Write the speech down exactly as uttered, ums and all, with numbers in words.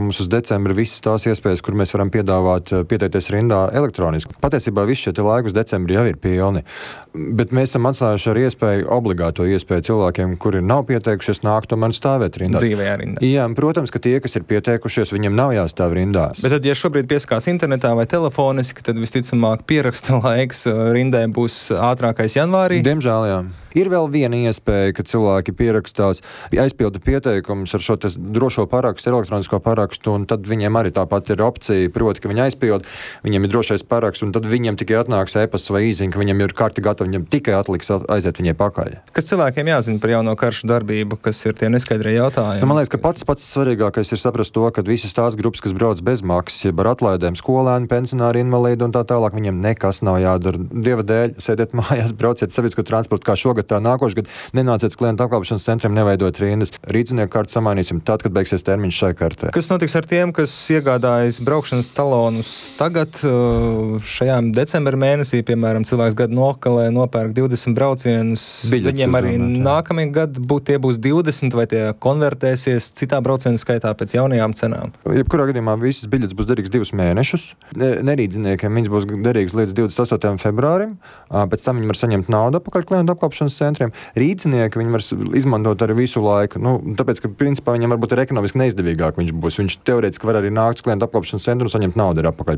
mums uz decembri visas tās iespējas, kur mēs varam piedāvāt pieteikties rindā elektroniski. Patiesībā visi šie laikus decembri jau ir pilni, bet mēs esam atstājuši ar iespēju, obligāto iespēju cilvēkiem, kuri nav pieteikušies, nākt tomēr stāvēt rindā. Dzīvajā rindā. Jā, protams, ka tie, kas ir pieteikušies, viņiem nav jāstāv rindās. Bet tad, ja šobrīd pieskās internetā vai telefoniski, tad visticamāk pieraksta laiks rindē būs ātrākais janvārī? Diemžēl, jā. Ir vēl viena iespēja, ka cilvēki pierakstās, aizpilda pieteikumus ar šo drošo parakstu, elektronisko parakstu, un tad viņiem arī tāpat ir opcija, proti, ka viņi aizpild, viņiem ir drošais paraksts, un tad viņiem tikai atnāks e-pasts vai īziņa, ka viņiem ir karti gatavi, viņiem tikai atliks aiziet viņai pakaļ. Kas cilvēkiem jāzina par jauno karšu darbību, kas ir tie neskaidrie jautājumi? Man liekas, ka pats pats svarīgākais ir saprast to, ka visas tās grupas, kas brauc bez maksas, jeb ar atlaidēm, skolēni, pensionāri, invalīdi un tā tālāk, viņiem nekas nav jādara. Dieva dēļ, sēdiet mājās, brauciet sabiedrisko transportu kā šogad, tā nākošais gads, nenāciet klientu apkalpošanas centriem, neveidot rindas. Rīdzinieku karti samainīsim tad, kad beigsies termiņš šai kartē. Kas notiks ar tiem, kas iegādājas braukšanas talonus tagad, šajā decembra mēnesī, piemēram, cilvēks gadu nokalē, nopērk divdesmit braucienus, biļetes viņiem arī domāt, nākamie gadi būt, tie būs divdesmit, vai tie konvertēsies citā brauciena skaitā pēc jaunajām cenām? Jebkurā gadījumā visas biļetes būs derīgas divus mēnešus. Nerīdziniekiem viņas būs derīgas līdz divdesmit astotajam februārim, pēc tam viņi var saņemt naudu apakaļ klientu apkalpošanas centriem. Rīdzinieki viņi var izmantot arī visu laiku, nu, tāpēc, ka principā viņam varbūt ir ekonomiski neizdevīgāk viņš būs. Viņš teorētiski var arī nākt uz klientu apkalpošanas centru un saņemt naudu arī apakaļ